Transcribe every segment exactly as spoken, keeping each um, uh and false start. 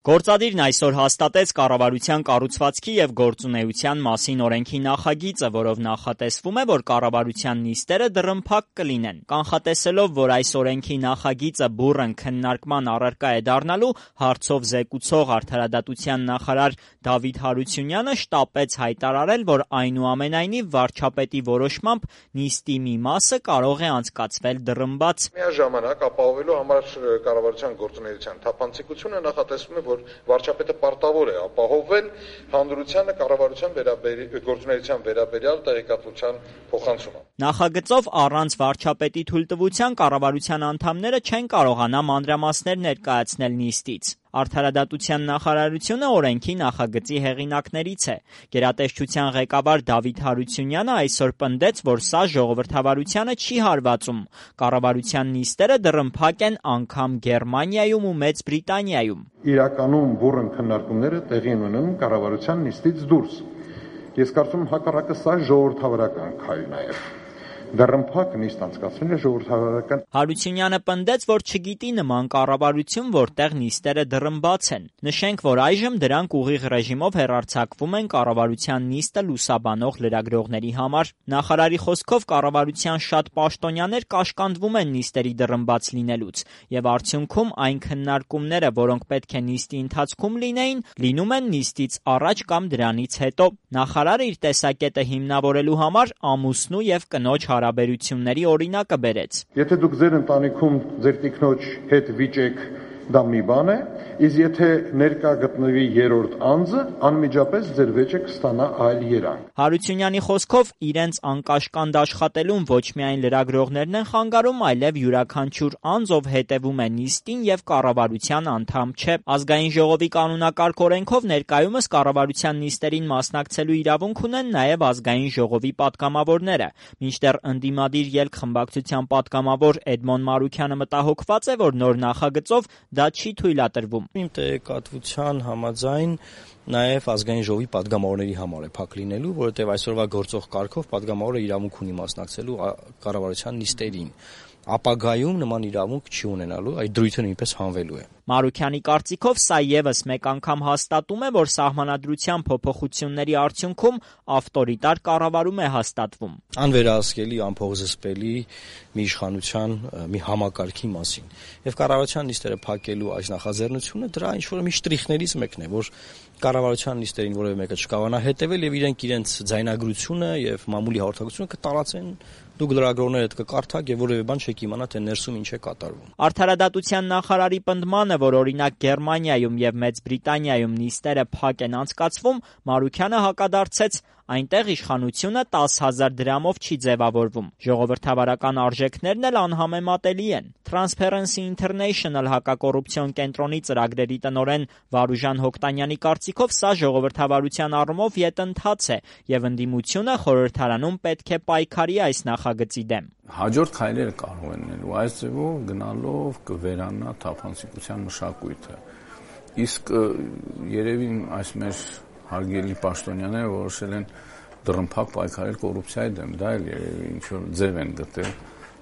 Գործադիրն այսօր հաստատեց կառավարության կառուցվածքի և գործունեության մասին օրենքի նախագիծը, որով նախատեսվում է, որ կառավարության նիստերը դռնփակ կլինեն։ Կանխատեսելով, որ այս օրենքի նախագիծը բուռն քննարկման առարկա է դառնալու, հարցով զեկուցող արդարադատության նախարար Դավիթ Հարությունյանը շտապեց հայտարարել, որ այնուամենայնիվ վարչապետի որոշմամբ նիստի մի մասը կարող է անցկացվել դռնբաց։ Միաժամանակ ապահովելու համար կառավարության գործունեության թափանցիկությունը նախատեսվում է, որ վարչապետը պարտավոր է ապահովել հանրությանը կառավարության գործունեության վերաբերյալ տեղեկատվության փոխանցումը։ Նախագծով առանց վարչապետի թույլտվության կառավարության անդամները չեն կարողանա մանրամասներ ներկայացնել նիստից։ Արդարադատության նախարարությունը օրենքի նախագծի հեղինակներից է։ Գերատեսչության ղեկավար Դավիթ Հարությունյանը այսօր պնդեց, որ սա ժողովրդավարությանը չի հարվածում։ Կառավարության նիստերը դռնփակ են անգամ Գերմանիայում ու Մեծ Բրիտանիայում։ Իրականում բուռն քննարկումները տեղի են ունենում կառավարության նիստից դուրս։ Ես կարծում եմ հակառակը սա ժողովրդավարական քայլ նաև։ Դռնփակ նիստ անցկացնելը ժողովրդավարական։ Հարությունյանը պնդեց, որ չգիտի նման կառավարություն, որտեղ նիստերը դռնբաց են։ Նշենք, որ այժմ դրանք ուղիղ ռեժիմով հեռարձակվում են կառավարության նիստը լուսաբանող լրագրողների համար։ Նախարարի խոսքով կառավարության շատ պաշտոնյաներ կաշկանդվում են նիստերի դռնբաց լինելուց, եւ արդյունքում այն քննարկումները, որոնք պետք է նիստի ընթացքում լինեին, լինում են նիստից առաջ կամ դրանից հետո։ Նախարարը իր տեսակետը հիմնավորելու համար ամուսնու եւ կնոջ հարաբերությունների օրինակը բերեց։ Եթե դուք ձեր ընտանիքում ձեր տիկնոջ հետ վիճեք, դա մի բան է, իսկ եթե ներկա գտնվի երրորդ անձը, անմիջապես ձեր վեճը կստանա այլ երանգ։ Հարությունյանի խոսքով իրենց անկաշկանդ աշխատելուն ոչ միայն լրագրողներն են խանգարում, այլև յուրաքանչյուր անձ, ով հետևում է նիստին եւ կառավարության անդամ չէ։ Ազգային ժողովի կանոնակարգ օրենքով ներկայումս կառավարության նիստերին մասնակցելու իրավունք ունեն նաեւ ազգային ժողովի պատգամավորները։ Մինչդեռ ընդդիմադիր ելք խմբակցության պատգամավոր Էդմոն Մարուքյանը մտահոգված է, որ նոր նախագծով դա չի թույլատրվում։ Իմ տեղեկատվության համաձայն նաև ազգային ժողովի պատգամավորների համար է փակ լինելու, որովհետև այսօրվա գործող կարգով պատգամավորը իրավունք ունի մասնակցելու կառավարության նիստերին։ Ապագայում նման իրավունք չի ունենալու, այդ դրույթը նույնպես հանվելու է։ Մարուքյանի կարծիքով սա եւս մեկ անգամ հաստատում է, որ սահմանադրության փոփոխությունների արդյունքում ավտորիտար կառավարում է հաստատվում։ Անվերահսկելի, անփողզսպելի մի իշխանության մի համակարգի մասին։ Եվ կառավարության նիստերը փակելու այս նախաձեռնությունը դրա ինչ-որ մի շտրիխներից մեկն է, որ կառավարության նիստերին որևէ մեկը չկարողանա հետևել եւ իրենք իրենց ձայնագրությունը եւ մամուլի հաղորդակցությունը կտարածեն։ Դուք լրագրողները հետ կկարդաք եւ որևէ բան չեք իմանա, թե ներսում ինչ է կատարվում։ Արդարադատության նախարարի պնդմանը, որ օրինակ Գերմանիայում եւ Մեծ Բրիտանիայում նիստերը փակ են անցկացվում, Մարուքյանը հակադարձեց, այնտեղ իշխանությունը տասը հազար դրամով չի ձևավորվում։ Ժողովրդավարական արժեքներն էլ անհամեմատելի են։ Transparency International հակակոռուպցիոն կենտրոնի ծրագրերի տնօրեն Վարուժան Հոկտանյանի կարծիքով սա ժողովրդավարության առումով ետընթաց է եւ ընդդիմությունը խորհրդարանում պետք է պայքարի այս նախագծի դեմ։ Հաջորդ քայլերը կարող են լինելու, այս ձևով գնալով կվերանա թափանցիկության մշակույթը։ Իսկ երևի այս մեր հարգելի պաշտոնյաները որոշել են դռնփակ պայքարել կոռուպցիայի դեմ, դա էլ երևի ինչ-որ ձև են գտել,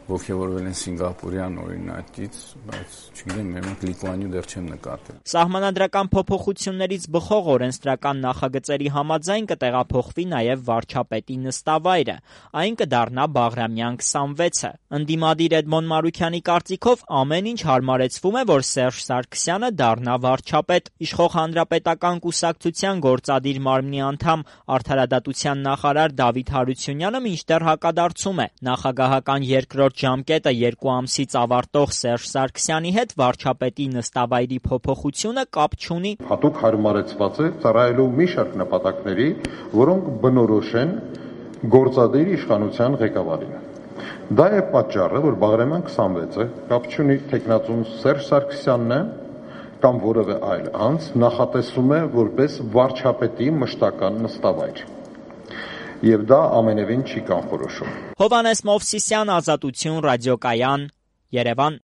ոգևորվել են սինգապուրյան օրինակից, բայց չգիտեմ, մենք Լիտվանիա դեռ չեմ նկատել։ Սահմանադրական փոփոխություններից բխող օրենսդրական նախագծերի համաձայն կտեղափոխվի նաև վարչապետի նստավայրը, այն կդառնա Բաղրամյան քսանվեցը։ Ընդդիմադիր Էդմոն Մարուքյանի կարծիքով ամեն ինչ հարմարեցվում է, որ Սերժ Սարգսյանը դառնա վարչապետ։ Իշխող հանրապետական կուսակցության գործադիր մարմնի անդամ արդարադատության նախարար Դավիթ Հարությունյանը մինչդեռ հակադարձում է։ Նախագահական երկրորդ ժամկետը երկու ամսից ավարտող Սերժ Սարգսյանի հետ վարչապետի նստավայրի փոփոխությունը կապ չունի։ Հատուկ հարմարեցված է ծառայելու մի շարք նպատակների, որոնք բնորոշ են գործադիր իշխանության ղեկավարին։ Դա է պատճառը, որ Բաղրամյան քսանվեցը կապ չունի թեկնածուն Սերժ Սարգսյանն է կամ որևէ այլ անձ նախատեսում է որպես վարչապետի մշտական նստավայր։ Եվ դա ամենևին չի կանխորոշում։ Հովհաննես Մովսիսյան, Ազատություն, Ռադիոկայան, Երևան։